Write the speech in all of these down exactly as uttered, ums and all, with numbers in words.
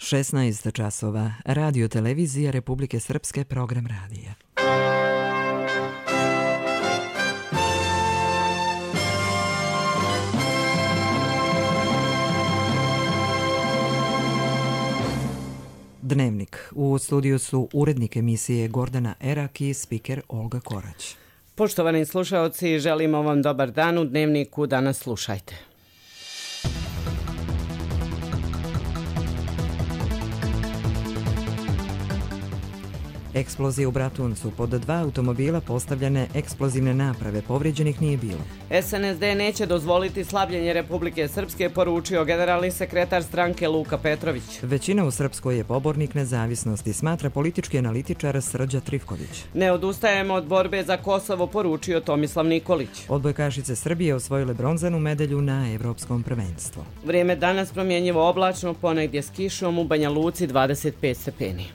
šesnaest časova. Radio televizija Republike Srpske, program radija. Dnevnik. U studiju su urednik emisije Gordana Erak i spiker Olga Korać. Poštovani slušaoci, želimo vam dobar dan. U Dnevniku danas slušajte. Eksplozije u Bratuncu. Pod dva automobila postavljene eksplozivne naprave. Povrijeđenih nije bilo. S N S D neće dozvoliti slabljenje Republike Srpske, poručio generalni sekretar stranke Luka Petrović. Većina u Srpskoj je pobornik nezavisnosti, smatra politički analitičar Srđa Trifković. Ne odustajemo od borbe za Kosovo, poručio Tomislav Nikolić. Odbojkašice Srbije osvojile bronzanu medalju na Evropskom prvenstvu. Vrijeme danas promjenjivo oblačno, ponegdje s kišom, u Banja Luci dvadeset pet stepeni.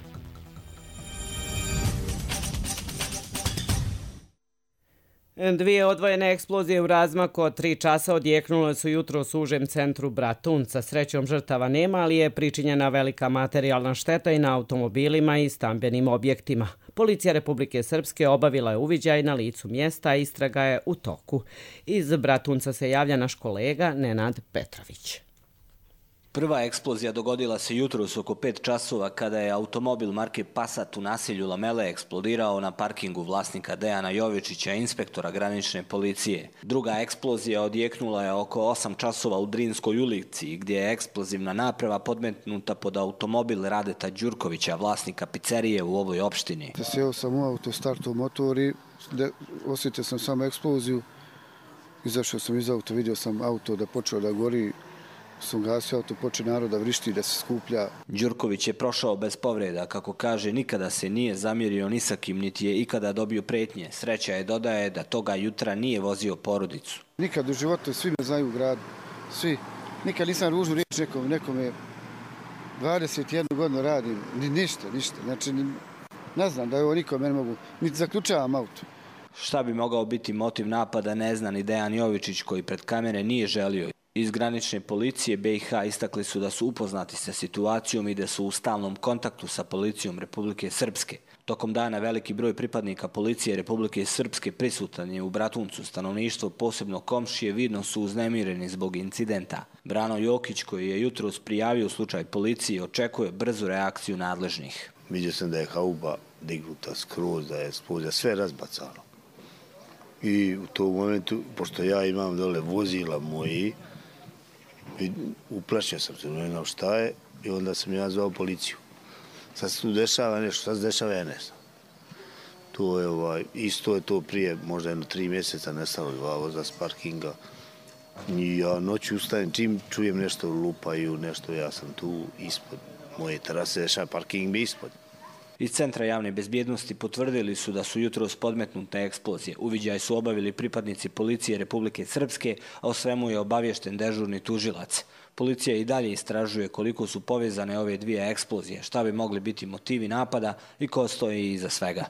Dvije odvojene eksplozije u razmaku od tri časa odjeknule su jutros u užem centru Bratunca. Srećom žrtava nema, ali je pričinjena velika materijalna šteta i na automobilima i stambenim objektima. Policija Republike Srpske obavila je uviđaj na licu mjesta, a istraga je u toku. Iz Bratunca se javlja naš kolega Nenad Petrović. Prva eksplozija dogodila se jutros oko pet časova kada je automobil marke Passat u naselju Lamele eksplodirao na parkingu vlasnika Dejana Jovičića, inspektora granične policije. Druga eksplozija odjeknula je oko osam časova u Drinskoj ulici, gdje je eksplozivna naprava podmetnuta pod automobil Radeta Đurkovića, vlasnika pizzerije u ovoj opštini. Sjeo sam u auto, startao motor i osjetio sam samo eksploziju. Izašao sam iz auta, vidio sam auto da počeo da gori. Sam gasio auto, poče narod da vrišti, da se skuplja. Đurković je prošao bez povreda, kako kaže, nikada se nije zamjerio ni sa kim, niti je ikada dobio pretnje. Sreća je, dodaje, da toga jutra nije vozio porodicu. Nikad u životu, svi me znaju u gradu, svi. Nikad nisam ružnu riječ nekom, nekom je dvadeset jednu godinu radim, ni, ništa, ništa. Znači, ni, ne znam da ovo nikom ne mogu, niti zaključavam auto. Šta bi mogao biti motiv napada, ne zna ni Dejan Jovičić, koji pred kamere nije želio. Iz granične policije B i H istakli su da su upoznati sa situacijom i da su u stalnom kontaktu sa policijom Republike Srpske. Tokom dana veliki broj pripadnika policije Republike Srpske prisutan je u Bratuncu. Stanovništvo, posebno komšije, vidno su uznemireni zbog incidenta. Brano Jokić, koji je jutros prijavio slučaj policiji, očekuje brzu reakciju nadležnih. Vidio sam da je hauba dignuta skroz, da je eksplozija, sve razbacano. I u tom momentu, pošto ja imam dole vozila moji, uplašio sam se, ne znam šta je, i onda sam ja zvao policiju. Sad se tu dešava nešto, sad se dešava ja ne znam. To je ovaj, isto je to prije, možda jedno tri mjeseca nestalo dva voza s parkinga. I ja noću ustajem, čim čujem nešto lupaju, nešto, ja sam tu ispod moje terase, dešava parking bi ispod. Iz Centra javne bezbjednosti potvrdili su da su jutros podmetnute eksplozije. Uviđaj su obavili pripadnici policije Republike Srpske, a o svemu je obavješten dežurni tužilac. Policija i dalje istražuje koliko su povezane ove dvije eksplozije, šta bi mogli biti motivi napada i ko stoji iza svega.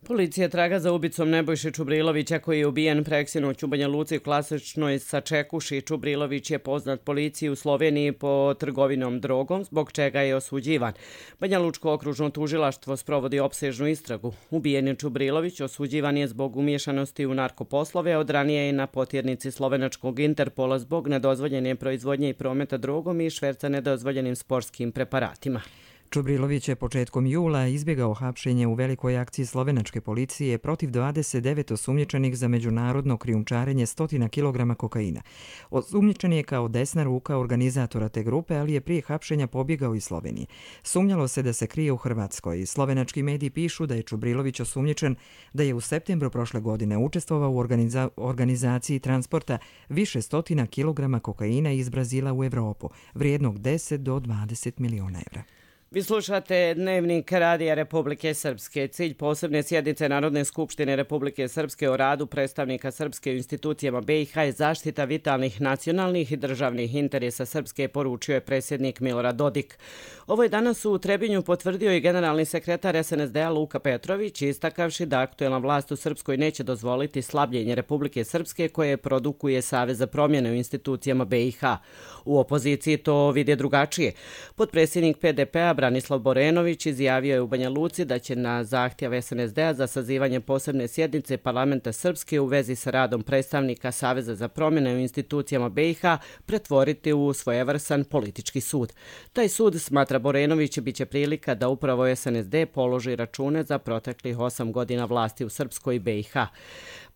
Policija traga za ubicom Nebojše Čubrilovića, koji je ubijen preksinoć u Banja Luci u klasičnoj Sačekuši. Čubrilović je poznat policiji u Sloveniji po trgovinom drogom, zbog čega je osuđivan. Banja Lučko okružno tužilaštvo sprovodi opsežnu istragu. Ubijeni Čubrilović osuđivan je zbog umiješanosti u narkoposlove, od ranije je na potjernici slovenačkog Interpola zbog nedozvoljene proizvodnje i prometa drogom i šverca nedozvoljenim sportskim preparatima. Čubrilović je početkom jula izbjegao hapšenje u velikoj akciji slovenačke policije protiv dvadeset devet osumnjičenih za međunarodno krijumčarenje stotina kilograma kokaina. Osumnjičen je kao desna ruka organizatora te grupe, ali je prije hapšenja pobjegao iz Slovenije. Sumnjalo se da se krije u Hrvatskoj. Slovenački mediji pišu da je Čubrilović osumnjičen da je u septembru prošle godine učestvovao u organiza- organizaciji transporta više stotina kilograma kokaina iz Brazila u Evropu, vrijednog deset do dvadeset miliona evra. Vi slušate Dnevnik Radija Republike Srpske. Cilj posebne sjednice Narodne skupštine Republike Srpske o radu predstavnika Srpske u institucijama B i H je zaštita vitalnih nacionalnih i državnih interesa Srpske, poručio je predsjednik Milorad Dodik. Ovo je danas u Trebinju potvrdio i generalni sekretar S N S D-a Luka Petrović, istakavši da aktuelna vlast u Srpskoj neće dozvoliti slabljenje Republike Srpske koje produkuje Savez za promjene u institucijama B i H. U opoziciji to vide drugačije. Potpredsjednik P D P-a Branislav Borenović izjavio je u Banja Luci da će na zahtjev S N S D-a za sazivanje posebne sjednice Parlamenta Srpske u vezi sa radom predstavnika Saveza za promjene u institucijama B i H pretvoriti u svojevrsan politički sud. Taj sud, smatra Borenović, biće prilika da upravo S N S D položi račune za proteklih osam godina vlasti u Srpskoj i B i H.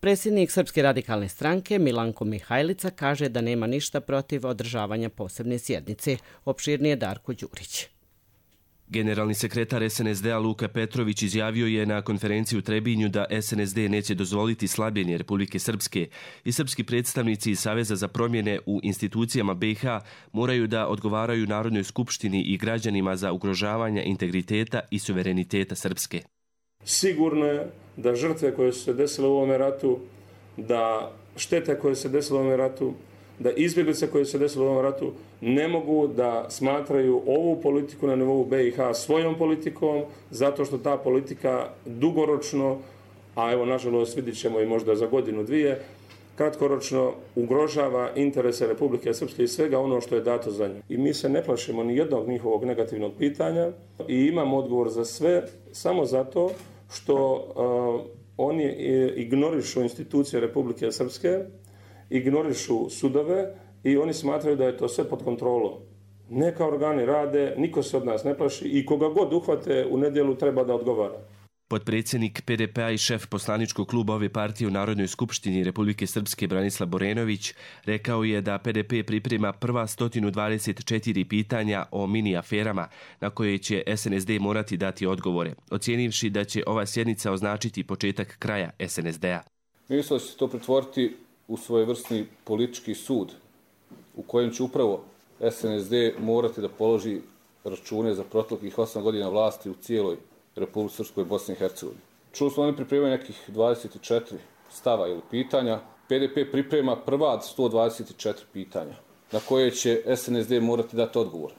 Predsjednik Srpske radikalne stranke Milanko Mihajlica kaže da nema ništa protiv održavanja posebne sjednice. Opširnije Darko Đurić. Generalni sekretar S N S D-a Luka Petrović izjavio je na konferenciji u Trebinju da S N S D neće dozvoliti slabljenje Republike Srpske i srpski predstavnici iz Saveza za promjene u institucijama B i H moraju da odgovaraju Narodnoj skupštini i građanima za ugrožavanje integriteta i suvereniteta Srpske. Sigurno je da žrtve koje su se desile u ovome ratu, da štete koje se desile u ovome ratu, da izbjeglice koje se desile u ovom ratu ne mogu da smatraju ovu politiku na nivou B i H svojom politikom, zato što ta politika dugoročno, a evo nažalost vidit ćemo i možda za godinu dvije, kratkoročno ugrožava interese Republike Srpske i svega ono što je dato za nju. I mi se ne plašimo ni jednog njihovog negativnog pitanja i imamo odgovor za sve samo zato što uh, oni ignorišu institucije Republike Srpske, ignorišu sudove i oni smatraju da je to sve pod kontrolom. Neka organi rade, niko se od nas ne plaši i koga god uhvate u nedjelu treba da odgovara. Potpredsjednik P D P-a i šef poslaničkog kluba ove partije u Narodnoj skupštini Republike Srpske Branislav Borenović rekao je da P D P priprema prva sto dvadeset četiri pitanja o mini aferama na koje će S N S D morati dati odgovore, ocijenivši da će ova sjednica označiti početak kraja S N S D-a. Mislio će se to pretvoriti u svojevrsni politički sud u kojem će upravo S N S D morati da položi račune za proteklih osam godina vlasti u cijeloj Republike Srpskoj i Bosni i Hercegovini. Čuli smo oni pripremaju nekih dvadeset četiri stava ili pitanja. P D P priprema prva sto dvadeset četiri pitanja na koje će S N S D morati dati odgovor.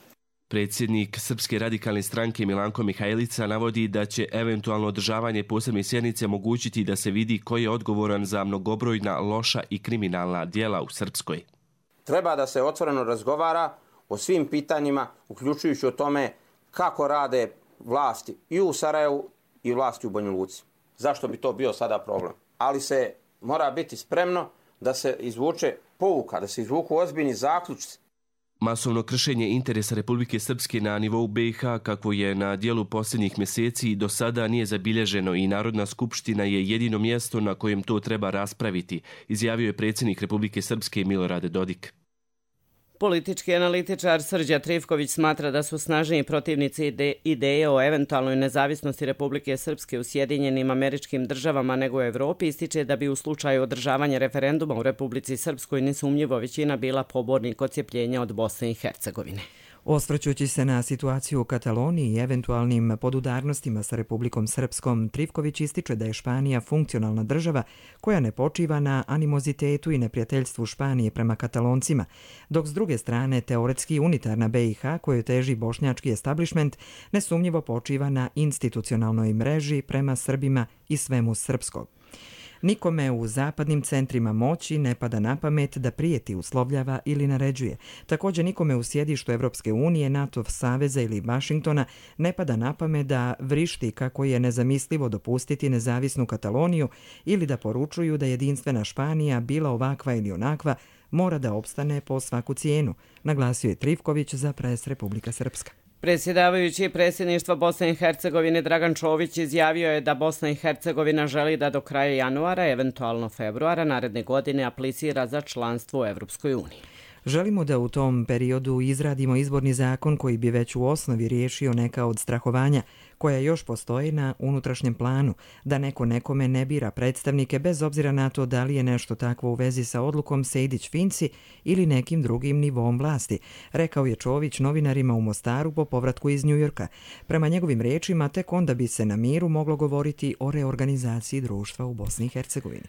Predsjednik Srpske radikalne stranke Milanko Mihajlica navodi da će eventualno održavanje posebne sjednice omogućiti da se vidi ko je odgovoran za mnogobrojna loša i kriminalna djela u Srpskoj. Treba da se otvoreno razgovara o svim pitanjima, uključujući o tome kako rade vlasti i u Sarajevu i vlasti u Banja Luci. Zašto bi to bio sada problem? Ali se mora biti spremno da se izvuče pouka, da se izvuku ozbiljni zaključci. Masovno kršenje interesa Republike Srpske na nivou B i H, kako je na dijelu posljednjih mjeseci, do sada nije zabilježeno i Narodna skupština je jedino mjesto na kojem to treba raspraviti, izjavio je predsjednik Republike Srpske Milorad Dodik. Politički analitičar Srđa Trifković smatra da su snažniji protivnici ide ideje o eventualnoj nezavisnosti Republike Srpske u Sjedinjenim Američkim Državama nego u Evropi. Ističe da bi u slučaju održavanja referenduma u Republici Srpskoj nesumnjivo većina bila pobornik odcijepljenja od Bosne i Hercegovine. Osvrćući se na situaciju u Kataloniji i eventualnim podudarnostima sa Republikom Srpskom, Trifković ističe da je Španija funkcionalna država koja ne počiva na animozitetu i neprijateljstvu Španije prema Kataloncima, dok s druge strane teoretski unitarna B i H koju teži bošnjački establishment nesumnjivo počiva na institucionalnoj mreži prema Srbima i svemu srpskog. Nikome u zapadnim centrima moći ne pada na pamet da prijeti, uslovljava ili naređuje. Također nikome u sjedištu Evropske unije, NATO saveza ili Vašingtona ne pada na pamet da vrišti kako je nezamislivo dopustiti nezavisnu Kataloniju ili da poručuju da jedinstvena Španija, bila ovakva ili onakva, mora da opstane po svaku cijenu, naglasio je Trifković za Pres Republika Srpska. Predsjedavajući predsjedništva Bosne i Hercegovine Dragan Čović izjavio je da Bosna i Hercegovina želi da do kraja januara, eventualno februara naredne godine aplicira za članstvo u Evropskoj uniji. Želimo da u tom periodu izradimo izborni zakon koji bi već u osnovi riješio neka od strahovanja koja još postoji na unutrašnjem planu, da neko nekome ne bira predstavnike bez obzira na to da li je nešto takvo u vezi sa odlukom Sejdić-Finci ili nekim drugim nivom vlasti, rekao je Čović novinarima u Mostaru po povratku iz Njujorka. Prema njegovim rečima, tek onda bi se na miru moglo govoriti o reorganizaciji društva u Bosni i Hercegovini.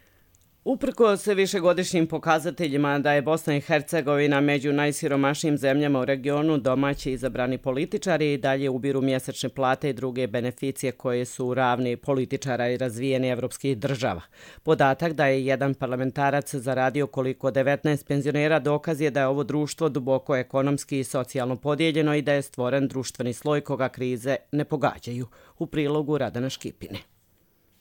Uprkos višegodišnjim pokazateljima da je Bosna i Hercegovina među najsiromašnijim zemljama u regionu, domaći izabrani političari i dalje ubiru mjesečne plate i druge beneficije koje su ravni političara i razvijeni evropskih država. Podatak da je jedan parlamentarac zaradio koliko devetnaest penzionera dokaz je da je ovo društvo duboko ekonomski i socijalno podijeljeno i da je stvoren društveni sloj koga krize ne pogađaju. U prilogu Radana Škipine.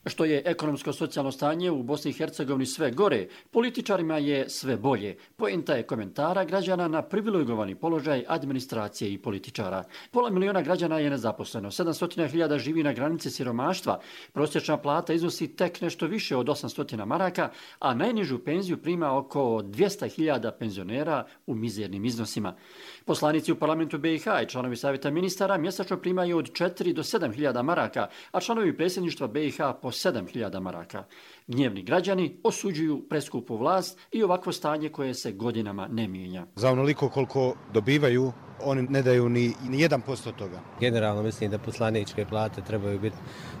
Što je ekonomsko-socijalno stanje u Bosni i Hercegovini sve gore, političarima je sve bolje. Poenta je komentara građana na privilegovani položaj administracije i političara. Pola miliona građana je nezaposleno, sedamsto hiljada živi na granici siromaštva, prosječna plata iznosi tek nešto više od osamsto maraka, a najnižu penziju prima oko dvjesto hiljada penzionera u mizernim iznosima. Poslanici u parlamentu B i H i članovi savjeta ministara mjesečno primaju od četiri do sedam hiljada maraka, a članovi predsjedništva B i H po sedam hiljada maraka. Gnjevni građani osuđuju preskupu vlast i ovakvo stanje koje se godinama ne mijenja. Za onoliko koliko dobivaju, oni ne daju ni, ni jedan posto toga. Generalno mislim da poslaničke plate trebaju biti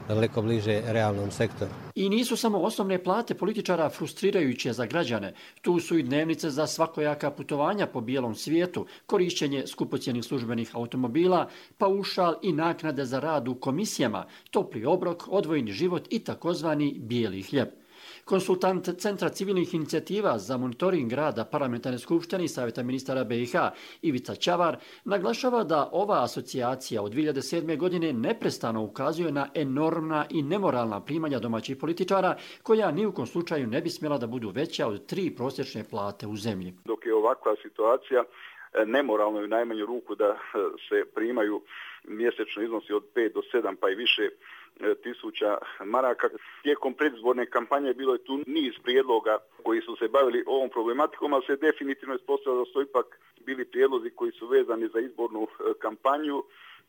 daleko bliže realnom sektoru. I nisu samo osnovne plate političara frustrirajuće za građane. Tu su i dnevnice za svakojaka putovanja po bijelom svijetu, korišćenje skupocjenih službenih automobila, paušal i naknade za rad u komisijama, topli obrok, odvojeni život i takozvani bijeli hljeb. Konsultant Centra civilnih inicijativa za monitoring rada Parlamentarne skupštine i Savjeta ministara B i H Ivica Ćavar naglašava da ova asocijacija od dvije hiljade sedme. godine neprestano ukazuje na enormna i nemoralna primanja domaćih političara koja ni u kom slučaju ne bi smjela da budu veća od tri prosječne plate u zemlji. Dok je ovakva situacija nemoralno je u najmanju ruku da se primaju mjesečno iznosi od pet do sedam pa i više tisuća maraka. Tijekom predizborne kampanje bilo je tu niz prijedloga koji su se bavili ovom problematikom, ali se definitivno ispostavilo da su ipak bili prijedlozi koji su vezani za izbornu kampanju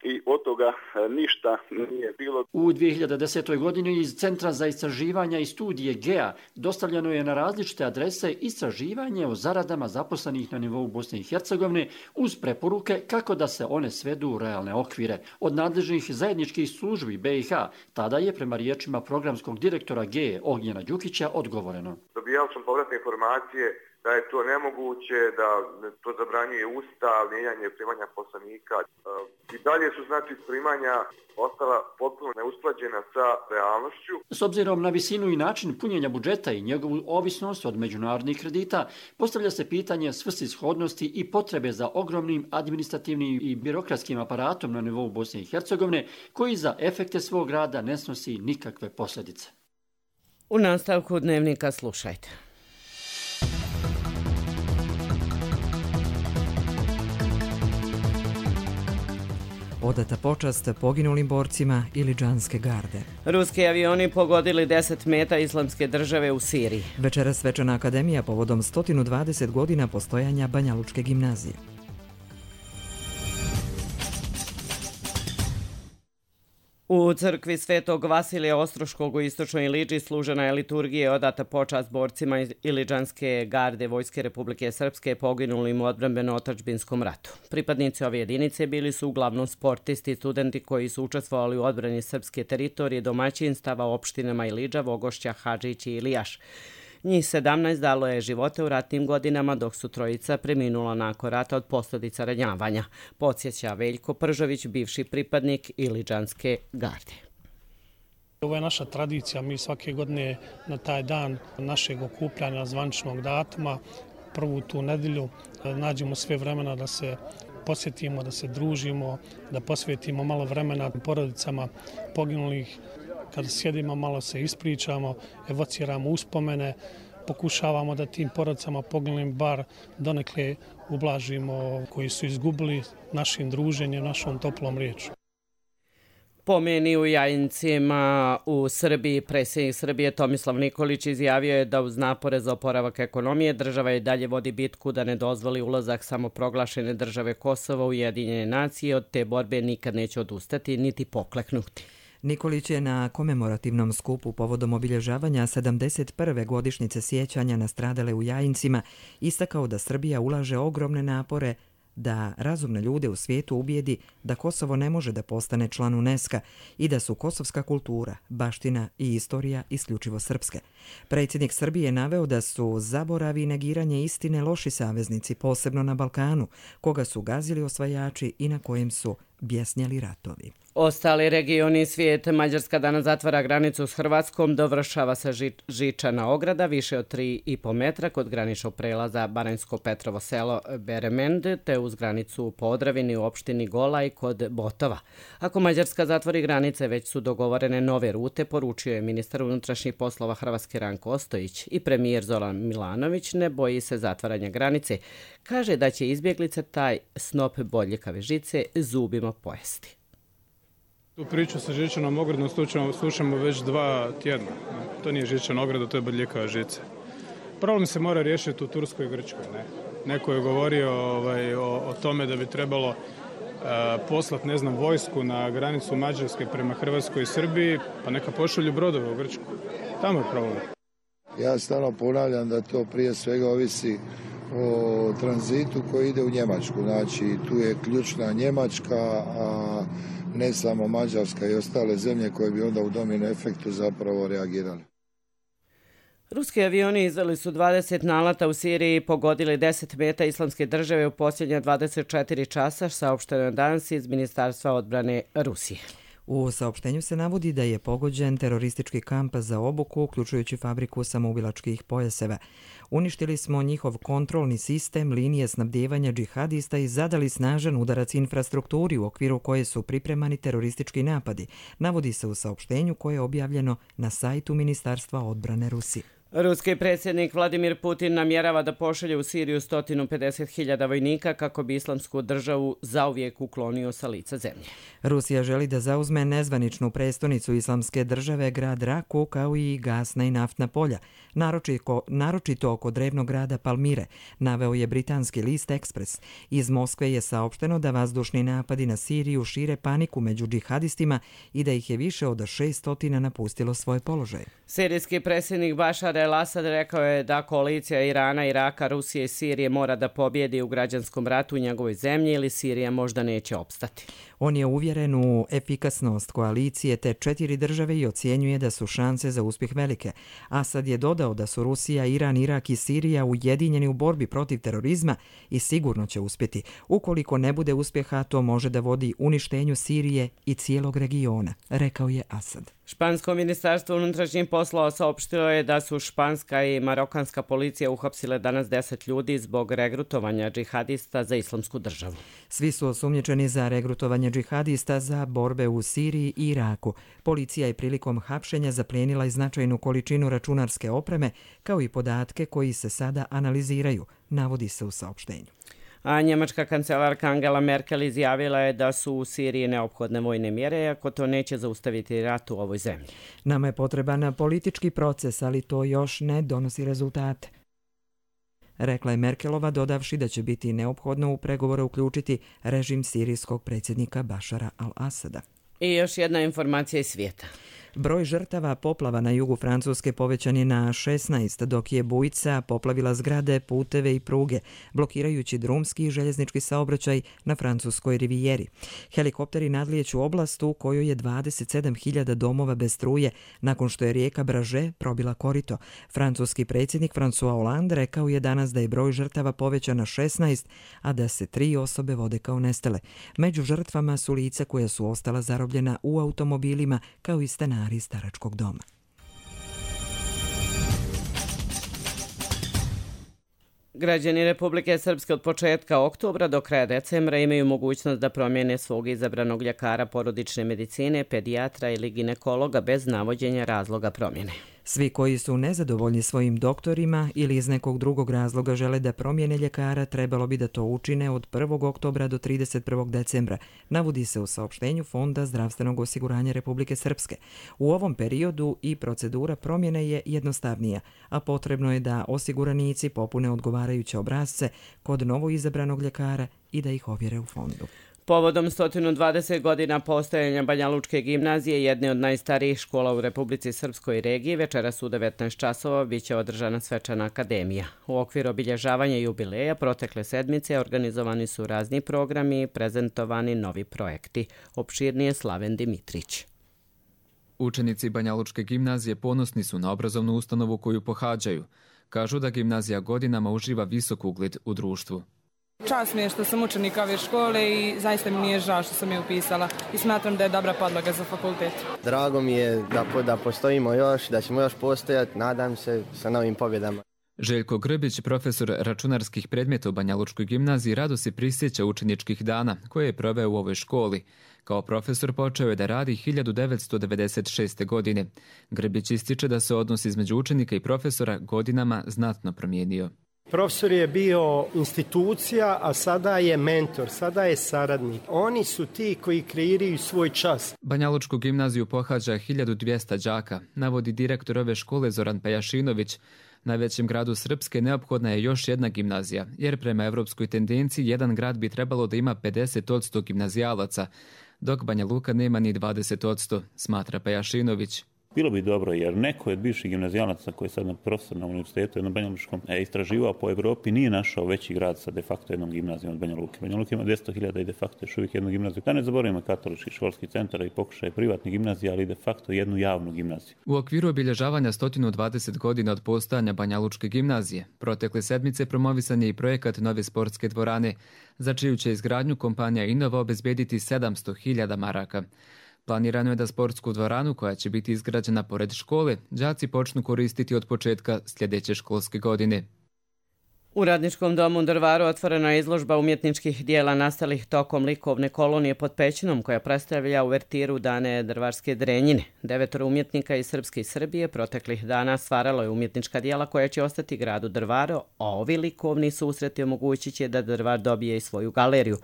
i od toga ništa nije bilo. U dvije hiljade desetoj. godini iz Centra za istraživanja i studije G E A dostavljeno je na različite adrese istraživanje o zaradama zaposlenih na nivou Bosne i Hercegovine uz preporuke kako da se one svedu u realne okvire. Od nadležnih zajedničkih službi B i H tada je prema riječima programskog direktora G E Ognjena Đukića odgovoreno. Dobijao sam povratne informacije da je to nemoguće, da to zabranjuje Ustav, mijenjanje primanja poslanika. I dalje su znači primanja ostala potpuno neusklađena sa realnošću. S obzirom na visinu i način punjenja budžeta i njegovu ovisnost od međunarodnih kredita, postavlja se pitanje svrsishodnosti i potrebe za ogromnim administrativnim i birokratskim aparatom na nivou Bosne i Hercegovine, koji za efekte svog rada ne snosi nikakve posljedice. U nastavku dnevnika slušajte. Odata počast poginulim borcima Ilidžanske garde. Ruski avioni pogodili deset meta Islamske države u Siriji. Večeras svečana akademija povodom sto dvadeset godina postojanja Banjalučke gimnazije. U crkvi Svetog Vasilija Ostroškog u istočnoj Iliđi služena je liturgija odata počast borcima Ilidžanske garde Vojske Republike Srpske poginulim u odbrambeno-otadžbinskom ratu. Pripadnici ove jedinice bili su uglavnom sportisti i studenti koji su učestvovali u odbrani srpske teritorije domaćinstava u opštinama Iliđa, Vogošća, Hadžić i Ilijaš. Njih sedamnaest dalo je živote u ratnim godinama, dok su trojica preminula nakon rata od posljedica ranjavanja, podsjeća Veljko Pržović, bivši pripadnik Ilidžanske garde. Ovo je naša tradicija, mi svake godine na taj dan našeg okupljanja zvaničnog datuma, prvu tu nedjelju, nađemo sve vremena da se posjetimo, da se družimo, da posvetimo malo vremena porodicama poginulih. Kada sjedimo, malo se ispričamo, evociramo uspomene, pokušavamo da tim porodicama poginulim bar donekle ublažimo koji su izgubili našim druženjem, našom toplom riječu. Po meni u Jajincima u Srbiji, predsjednik Srbije Tomislav Nikolić izjavio je da uz napore za oporavak ekonomije država i dalje vodi bitku da ne dozvoli ulazak samoproglašene države Kosova u Ujedinjene nacije, od te borbe nikad neće odustati niti pokleknuti. Nikolić je na komemorativnom skupu povodom obilježavanja sedamdeset prve godišnjice sjećanja na stradale u Jajincima istakao da Srbija ulaže ogromne napore da razumne ljude u svijetu ubijedi da Kosovo ne može da postane član UNESCO i da su kosovska kultura, baština i istorija isključivo srpske. Predsjednik Srbije je naveo da su zaboravi i negiranje istine loši saveznici, posebno na Balkanu, koga su gazili osvajači i na kojem su bjesnjali ratovi. Ostali regioni svijeta, Mađarska danas zatvara granicu s Hrvatskom, dovršava se ži, žičana ograda više od tri i po metra kod graničnog prelaza Baranjsko-Petrovo selo Beremend, te uz granicu u Podravini u opštini Golaj kod Botova. Ako Mađarska zatvori granice, već su dogovorene nove rute, poručio je ministar unutrašnjih poslova Hrvatske Ranko Ostojić i premijer Zoran Milanović ne boji se zatvaranja granice. Kaže da će izbjeglice taj snop bodljikave žice zubima pojesti. Tu priču sa žičanom ogradom slušamo, slušamo već dva tjedna. To nije žičana ograda, to je bodljikava žica. Problem se mora riješiti u Turskoj i Grčkoj. Ne? Neko je govorio ovaj, o, o tome da bi trebalo uh, poslati, ne znam, vojsku na granicu Mađarske prema Hrvatskoj i Srbiji, pa neka pošalju brodove u Grčku. Tamo je problem. Ja stalno ponavljam da to prije svega ovisi o tranzitu koji ide u Njemačku. Znači, tu je ključna Njemačka, a ne samo Mađarska i ostale zemlje koje bi onda u domino efektu zapravo reagirali. Ruski avioni izdali su dvadeset nalata u Siriji i pogodili deset meta Islamske države u posljednja dvadeset četiri časa, saopšteno je danas iz Ministarstva odbrane Rusije. U saopštenju se navodi da je pogođen teroristički kamp za obuku, uključujući fabriku samoubilačkih pojaseva. Uništili smo njihov kontrolni sistem, linije snabdijevanja džihadista i zadali snažan udarac infrastrukturi u okviru koje su pripremani teroristički napadi, navodi se u saopštenju koje je objavljeno na sajtu Ministarstva odbrane Rusije. Ruski predsjednik Vladimir Putin namjerava da pošalje u Siriju sto pedeset hiljada vojnika kako bi Islamsku državu zauvijek uklonio sa lica zemlje. Rusija želi da zauzme nezvaničnu prestonicu Islamske države, grad Raku, kao i gasna i naftna polja, naročito, naročito oko drevnog grada Palmire, naveo je britanski list Express. Iz Moskve je saopšteno da vazdušni napadi na Siriju šire paniku među džihadistima i da ih je više od šessto napustilo svoje položaje. Sirijski predsjednik Bašar el-Asad rekao je da koalicija Irana, Iraka, Rusije i Sirije mora da pobjedi u građanskom ratu u njegovoj zemlji ili Sirija možda neće opstati. On je uvjeren u efikasnost koalicije te četiri države i ocjenjuje da su šanse za uspjeh velike. Asad je dodao da su Rusija, Iran, Irak i Sirija ujedinjeni u borbi protiv terorizma i sigurno će uspjeti. Ukoliko ne bude uspjeha, to može da vodi uništenju Sirije i cijelog regiona, rekao je Asad. Špansko ministarstvo unutrašnjih poslova saopštilo je da su španska i marokanska policija uhapsile danas deset ljudi zbog regrutovanja džihadista za Islamsku državu. Svi su osumnjičeni za regrutovanje džihadista za borbe u Siriji i Iraku. Policija je prilikom hapšenja zaplijenila i značajnu količinu računarske opreme, kao i podatke koji se sada analiziraju, navodi se u saopštenju. A njemačka kancelarka Angela Merkel izjavila je da su u Siriji neophodne vojne mjere, ako to neće zaustaviti rat u ovoj zemlji. Nama je potreban politički proces, ali to još ne donosi rezultate, rekla je Merkelova, dodavši da će biti neophodno u pregovore uključiti režim sirijskog predsjednika Bašara al-Asada. I još jedna informacija iz svijeta. Broj žrtava poplava na jugu Francuske povećan je na šesnaest, dok je bujica poplavila zgrade, puteve i pruge, blokirajući drumski i željeznički saobraćaj na francuskoj rivijeri. Helikopteri nadlijeću oblast u kojoj je dvadeset sedam hiljada domova bez struje nakon što je rijeka Braže probila korito. Francuski predsjednik François Hollande rekao je danas da je broj žrtava povećan na šesnaest, a da se tri osobe vode kao nestale. Među žrtvama su lica koja su ostala zarobljena u automobilima kao i stanari staračkog doma. Građani Republike Srpske od početka oktobra do kraja decembra imaju mogućnost da promijene svog izabranog ljekara porodične medicine, pedijatra ili ginekologa bez navođenja razloga promjene. Svi koji su nezadovoljni svojim doktorima ili iz nekog drugog razloga žele da promijene ljekara, trebalo bi da to učine od prvog oktobra do trideset prvog decembra, navodi se u saopštenju Fonda zdravstvenog osiguranja Republike Srpske. U ovom periodu i procedura promjene je jednostavnija, a potrebno je da osiguranici popune odgovarajuće obrasce kod novoizabranog ljekara i da ih ovjere u fondu. Povodom sto dvadeset godina postojanja Banjalučke gimnazije, jedne od najstarijih škola u Republici Srpskoj regiji, večeras u devetnaest časova biće održana svečana akademija. U okviru obilježavanja jubileja protekle sedmice organizovani su razni programi i prezentovani novi projekti. Opširnije Slaven Dimitrić. Učenici Banjalučke gimnazije ponosni su na obrazovnu ustanovu koju pohađaju. Kažu da gimnazija godinama uživa visok ugled u društvu. Čast mi je što sam učenik ove škole i zaista mi nije žao što sam je upisala i smatram da je dobra podloga za fakultet. Drago mi je da, da postojimo još, da ćemo još postojati, nadam se sa novim pobjedama. Željko Grbić, profesor računarskih predmeta u Banjalučkoj gimnaziji, rado se prisjeća učeničkih dana koje je proveo u ovoj školi. Kao profesor počeo je da radi hiljadu devetsto devedeset šeste. godine. Grbić ističe da se odnos između učenika i profesora godinama znatno promijenio. Profesor je bio institucija, a sada je mentor, sada je saradnik. Oni su ti koji kreiraju svoj čas. Banjalučku gimnaziju pohađa hiljadu dvjesto đaka, navodi direktor ove škole Zoran Pejašinović. Najvećem gradu Srpske neophodna je još jedna gimnazija, jer prema evropskoj tendenciji jedan grad bi trebalo da ima pedeset posto gimnazijalaca, dok Banja Luka nema ni dvadeset posto, smatra Pejašinović. Bilo bi dobro jer neko od bivših gimnazijalaca koji je sad na profesor na univerzitetu na Banja Lučkom je istraživao po Evropi, nije našao veći grad sa de facto jednom gimnazijom od Banja Luke. Banja Luka ima dvjesto hiljada i de facto još uvijek jednu gimnaziju. Da ne zaboravimo katolički školski centar i pokušaj privatnih gimnazija, ali de facto jednu javnu gimnaziju. U okviru obilježavanja sto dvadeset godina od postojanja Banja Lučke gimnazije, protekle sedmice promovisan je i projekat nove sportske dvorane, za čiju će izgradnju kompanija Innova obezbediti sedamsto hiljada maraka. Planirano je da sportsku dvoranu, koja će biti izgrađena pored škole, đaci počnu koristiti od početka sljedeće školske godine. U Radničkom domu u Drvaru otvorena je izložba umjetničkih dijela nastalih tokom likovne kolonije pod Pećinom, koja predstavlja uvertiru Dane drvarske drenjine. Devetoro umjetnika iz Srpske i Srbije proteklih dana stvaralo je umjetnička dijela koja će ostati gradu Drvaru, a ovi likovni susreti omogućit će da Drvar dobije i svoju galeriju.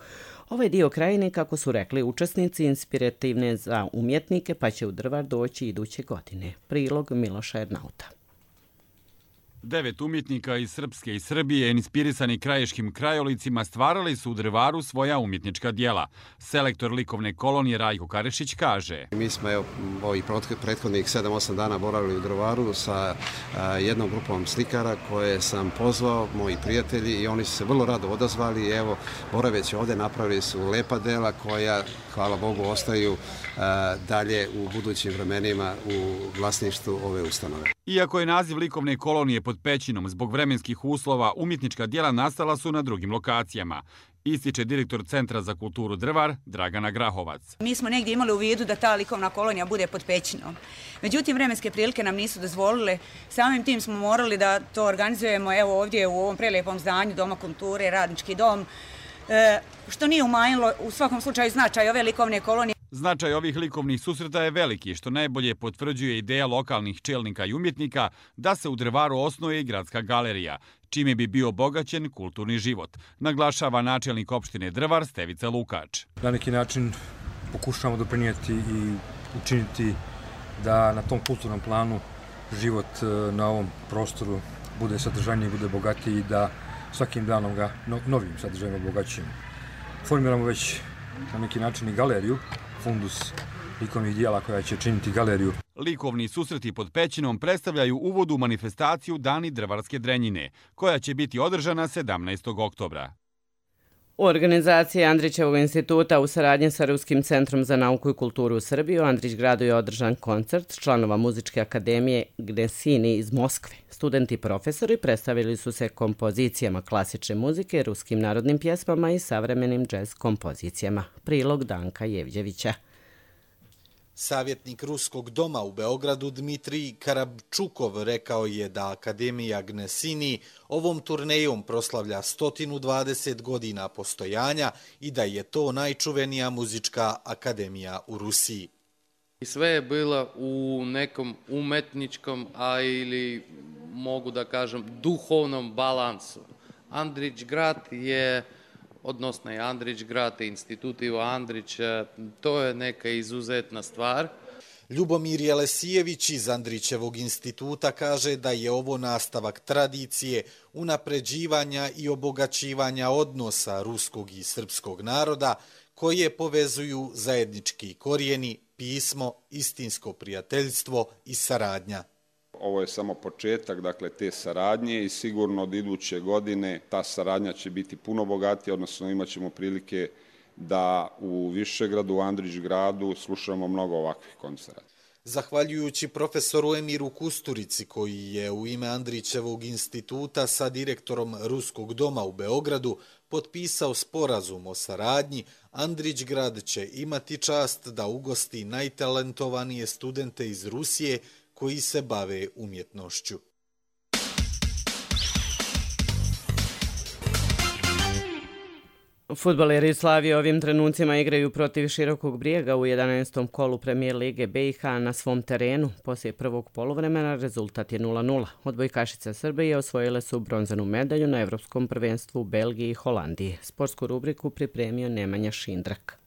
Ovaj dio krajine, kako su rekli učesnici, inspirativne za umjetnike, pa će u Drvar doći iduće godine. Prilog Miloša Ernauta. Devet umjetnika iz Srpske i Srbije, inspirisani krajiškim krajolicima, stvarali su u Drvaru svoja umjetnička dijela. Selektor likovne kolonije Rajko Karešić kaže: Mi smo evo, ovih prethodnih sedam osam dana boravili u Drvaru sa a, jednom grupom slikara koje sam pozvao, moji prijatelji, i oni su se vrlo rado odazvali. Evo, boraveći ovdje napravili su lepa dela koja, hvala Bogu, ostaju a, dalje u budućim vremenima u vlasništvu ove ustanove. Iako je naziv likovne kolonije pod Pećinom zbog vremenskih uslova, umjetnička dijela nastala su na drugim lokacijama, ističe direktor Centra za kulturu Drvar Dragana Grahovac. Mi smo negdje imali u vidu da ta likovna kolonija bude pod Pećinom. Međutim, vremenske prilike nam nisu dozvolile. Samim tim smo morali da to organizujemo evo ovdje u ovom prelijepom zdanju Doma kulture, Radnički dom, e, što nije umanjilo u svakom slučaju značaj ove likovne kolonije. Značaj ovih likovnih susreta je veliki, što najbolje potvrđuje ideja lokalnih čelnika i umjetnika da se u Drvaru osnuje i gradska galerija, čime bi bio obogaćen kulturni život, naglašava načelnik opštine Drvar Stevica Lukač. Na neki način pokušavamo doprinijeti i učiniti da na tom kulturnom planu život na ovom prostoru bude sadržajniji, bude bogatiji i da svakim danom ga novim sadržajima obogaćujemo. Formiramo već na neki način i galeriju, fundus likovnih dijela koja će činiti galeriju. Likovni susreti pod Pećinom predstavljaju uvod u manifestaciju Dani drvarske drenjine, koja će biti održana sedamnaestog oktobra. U organizaciji Andrićevog instituta u saradnji sa Ruskim centrom za nauku i kulturu u Srbiji u Andrić gradu je održan koncert članova muzičke akademije Gnesini iz Moskve. Studenti i profesori predstavili su se kompozicijama klasične muzike, ruskim narodnim pjesmama i savremenim džez kompozicijama. Prilog Danka Jevđevića. Savjetnik Ruskog doma u Beogradu Dmitrij Karabčukov rekao je da Akademija Gnesini ovom turnejom proslavlja sto dvadeset godina postojanja i da je to najčuvenija muzička akademija u Rusiji. Sve je bilo u nekom umetničkom, a ili mogu da kažem duhovnom balansu. Andrić grad je, odnosno je Andrić grad, institut Ivo Andrić, to je neka izuzetna stvar. Ljubomir Jelesijević iz Andrićevog instituta kaže da je ovo nastavak tradicije, unapređivanja i obogaćivanja odnosa ruskog i srpskog naroda, koje povezuju zajednički korijeni, pismo, istinsko prijateljstvo i saradnja. Ovo je samo početak, dakle, te saradnje i sigurno od iduće godine ta saradnja će biti puno bogatija, odnosno imat ćemo prilike da u Višegradu, u Andrić gradu slušamo mnogo ovakvih koncerata. Zahvaljujući profesoru Emiru Kusturici, koji je u ime Andrićevog instituta sa direktorom Ruskog doma u Beogradu potpisao sporazum o saradnji, Andrić grad će imati čast da ugosti najtalentovanije studente iz Rusije koji se bave umjetnošću. Fudbaleri Slavije ovim trenucima igraju protiv Širokog Brijega u jedanaestom kolu Premijer lige B i H na svom terenu. Poslije prvog poluvremena rezultat je nula nula. Odbojkašice Srbije osvojile su bronzanu medalju na Evropskom prvenstvu u Belgiji i Holandiji. Sportsku rubriku pripremio Nemanja Šindrak.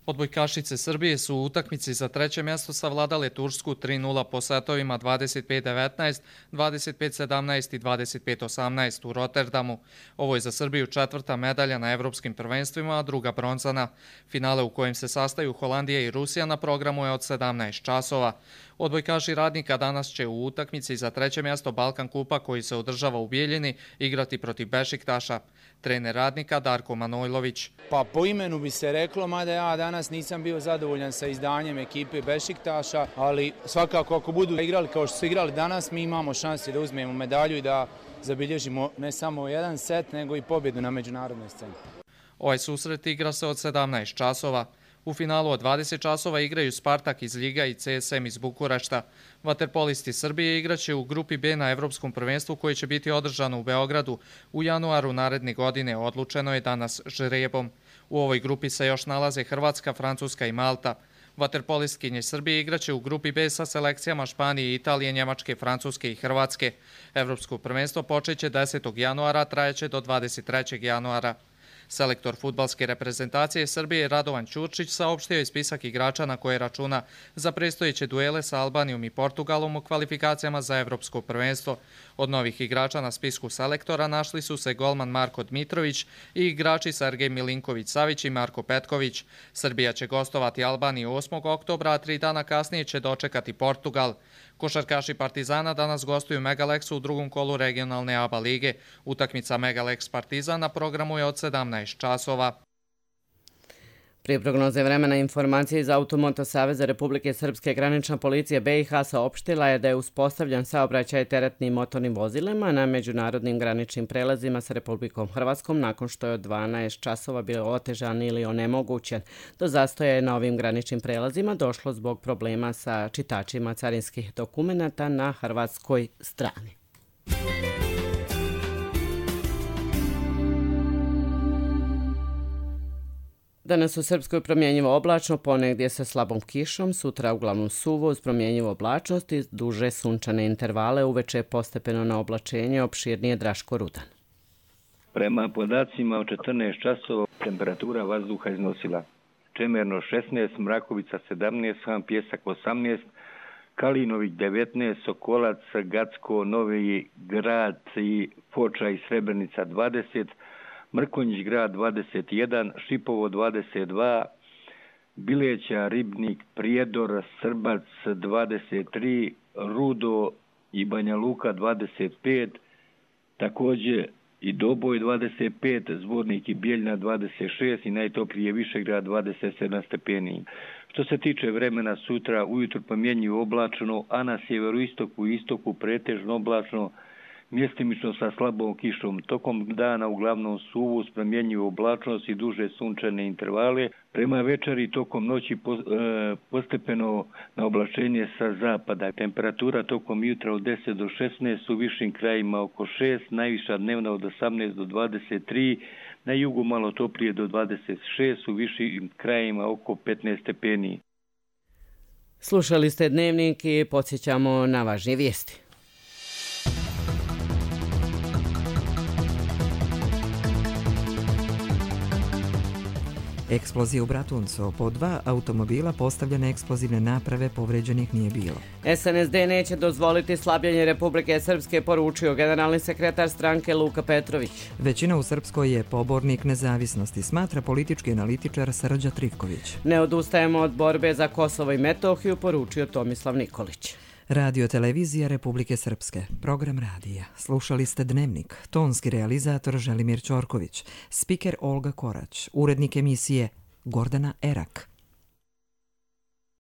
Odbojkašice Srbije su u utakmici za treće mjesto savladale Tursku tri nula po setovima dvadeset pet devetnaest, dvadeset pet sedamnaest i dvadeset pet osamnaest u Rotterdamu. Ovo je za Srbiju četvrta medalja na evropskim prvenstvima, a druga bronzana. Finale u kojem se sastaju Holandija i Rusija na programu je od sedamnaest časova. Odbojkaši Radnika danas će u utakmici za treće mjesto Balkan kupa koji se održava u Bijeljini igrati protiv Bešiktaša. Trener Radnika Darko Manojlović. Pa po imenu bi se reklo, mada ja danas nisam bio zadovoljan sa izdanjem ekipe Bešiktaša, ali svakako ako budu igrali kao što su igrali danas, mi imamo šanse da uzmemo medalju i da zabilježimo ne samo jedan set, nego i pobjedu na međunarodnoj sceni. Ovaj susret igra se od sedamnaest časova. U finalu od dvadeset časova igraju Spartak iz Ljiga i C S M iz Bukurešta. Vaterpolisti Srbije igraće u grupi B na Evropskom prvenstvu koje će biti održano u Beogradu u januaru naredne godine. Odlučeno je danas žrebom. U ovoj grupi se još nalaze Hrvatska, Francuska i Malta. Vaterpolistkinje Srbije igraće u grupi B sa selekcijama Španije, Italije, Njemačke, Francuske i Hrvatske. Evropsko prvenstvo počeće desetog januara, trajeće do dvadeset trećeg januara. Selektor fudbalske reprezentacije Srbije Radovan Ćurčić saopštio je spisak igrača na koje računa za predstojeće duele sa Albanijom i Portugalom u kvalifikacijama za Evropsko prvenstvo. Od novih igrača na spisku selektora našli su se golman Marko Dmitrović i igrači Sergej Milinković-Savić i Marko Petković. Srbija će gostovati Albaniju osmog oktobra, a tri dana kasnije će dočekati Portugal. Košarkaši Partizana danas gostuju Megalexu u drugom kolu regionalne A B A lige. Utakmica Megalex Partizan na programu je od sedamnaest časova. Prije prognoze vremena informacije iz Automoto Saveza Republike Srpske granična policija B i H saopštila je da je uspostavljen saobraćaj teretnim motornim vozilima na međunarodnim graničnim prelazima sa Republikom Hrvatskom nakon što je od dvanaest časova bio otežan ili onemogućen. Do zastoja je na ovim graničnim prelazima došlo zbog problema sa čitačima carinskih dokumenata na hrvatskoj strani. Danas u Srpskoj promjenjivo oblačno, ponegdje sa slabom kišom, sutra uglavnom suvo uz promjenjivo oblačnost i duže sunčane intervale, uveče postepeno na oblačenje, opširnije Draško Rudan. Prema podacima od četrnaest časova temperatura vazduha iznosila Čemerno šesnaest, Mrakovica sedamnaest, Sam Pjesak osamnaest, Kalinovik devetnaest, Sokolac, Gacko, Novi Grad i Foča i Srebrenica dvadeset, Mrkonjić grad dvadeset jedan, Šipovo dvadeset dva, Bileća, Ribnik, Prijedor, Srbac dvadeset tri, Rudo i Banja Luka dvadeset pet, također i Doboj dvadeset pet, Zvornik i Bijeljna dvadeset šest i najtoplije Višegrad dvadeset sedam stepeni. Što se tiče vremena sutra, ujutro promjenjivo oblačno, a na sjeveroistoku i istoku pretežno oblačno, mjestimično sa slabom kišom. Tokom dana uglavnom suvu s promjenjivu oblačnost i duže sunčane intervale. Prema večeri tokom noći postepeno na oblačenje sa zapada. Temperatura tokom jutra od deset do šesnaest, u višim krajima oko šest, najviša dnevna od osamnaest do dvadeset tri, na jugu malo toplije do dvadeset šest, u višim krajima oko petnaest stepeni. Slušali ste Dnevnik i podsjećamo na važnije vijesti. Eksplozija u Bratuncu. Po dva automobila postavljene eksplozivne naprave, povređenih nije bilo. S N S D neće dozvoliti slabljenje Republike Srpske, poručio generalni sekretar stranke Luka Petrović. Većina u Srpskoj je pobornik nezavisnosti, smatra politički analitičar Srđa Trifković. Ne odustajemo od borbe za Kosovo i Metohiju, poručio Tomislav Nikolić. Radio televizija Republike Srpske. Program radija. Slušali ste Dnevnik. Tonski realizator Želimir Ćorković. Spiker Olga Korać. Urednik emisije Gordana Erak.